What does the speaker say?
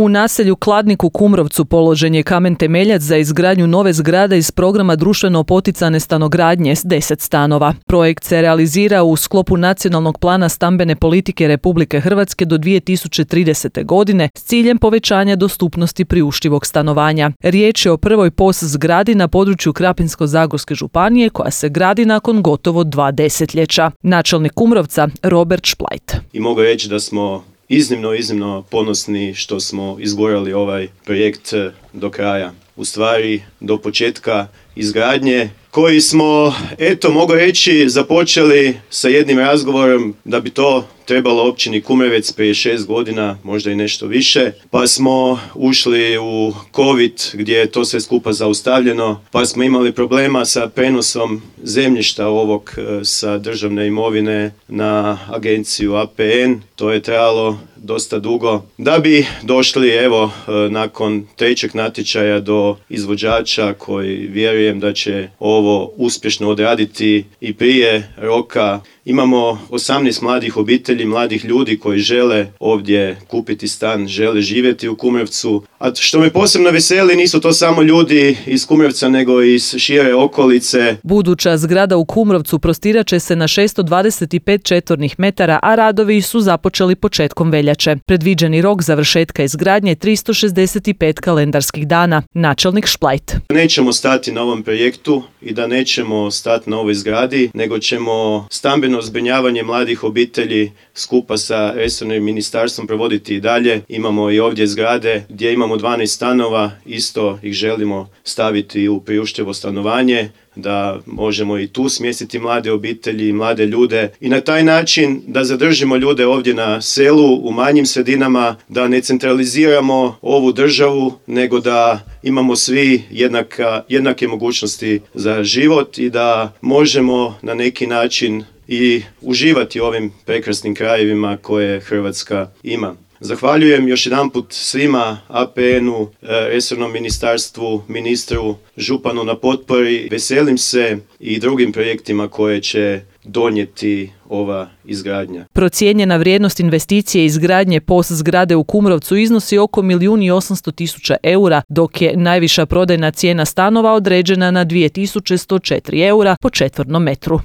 U naselju Kladnik u Kumrovcu položen je kamen temeljac za izgradnju nove zgrade iz programa društveno poticane stanogradnje s 10 stanova. Projekt se realizira u sklopu Nacionalnog plana stambene politike Republike Hrvatske do 2030. godine s ciljem povećanja dostupnosti priuštivog stanovanja. Riječ je o prvoj POS zgradi na području Krapinsko-zagorske županije koja se gradi nakon gotovo 2 desetljeća. Načelnik Kumrovca Robert Šplajt. I mogu reći da smo iznimno ponosni što smo izgurali ovaj projekt do kraja. U stvari do početka izgradnje koji smo, mogu reći, započeli sa jednim razgovorom da bi to trebalo općini Kumrovec prije 6 godina, možda i nešto više, pa smo ušli u COVID gdje je to sve skupa zaustavljeno, pa smo imali problema sa prenosom zemljišta ovog sa državne imovine na agenciju APN, to je trajalo dosta dugo, da bi došli nakon trećeg natječaja do izvođača koji vjerujem da će ovo uspješno odraditi i prije roka. Imamo 18 mladih obitelji, mladih ljudi koji žele ovdje kupiti stan, žele živjeti u Kumrovcu. A što me posebno veseli, nisu to samo ljudi iz Kumrovca nego i iz šire okolice. Buduća zgrada u Kumrovcu prostirat će se na 625 četvornih metara, a radovi su započeli početkom veljače. Predviđeni rok završetka izgradnje 365 kalendarskih dana. Načelnik Šplajt. Nećemo stati na ovom projektu i da nećemo stati na ovoj zgradi, nego ćemo stambeno zbrinjavanje mladih obitelji skupa sa resornim ministarstvom provoditi i dalje. Imamo i ovdje zgrade gdje imamo 12 stanova, isto ih želimo staviti u priuštivo stanovanje, da možemo i tu smjestiti mlade obitelji i mlade ljude i na taj način da zadržimo ljude ovdje na selu, u manjim sredinama, da ne centraliziramo ovu državu, nego da imamo svi jednake mogućnosti za život i da možemo na neki način i uživati u ovim prekrasnim krajevima koje Hrvatska ima. Zahvaljujem još jedanput svima, APN-u, resornom ministarstvu, ministru, županu na potpori. Veselim se i drugim projektima koje će donijeti ova izgradnja. Procijenjena vrijednost investicije izgradnje POS zgrade u Kumrovcu iznosi oko 1.800.000 eura, dok je najviša prodajna cijena stanova određena na 2.104 eura po četvornom metru.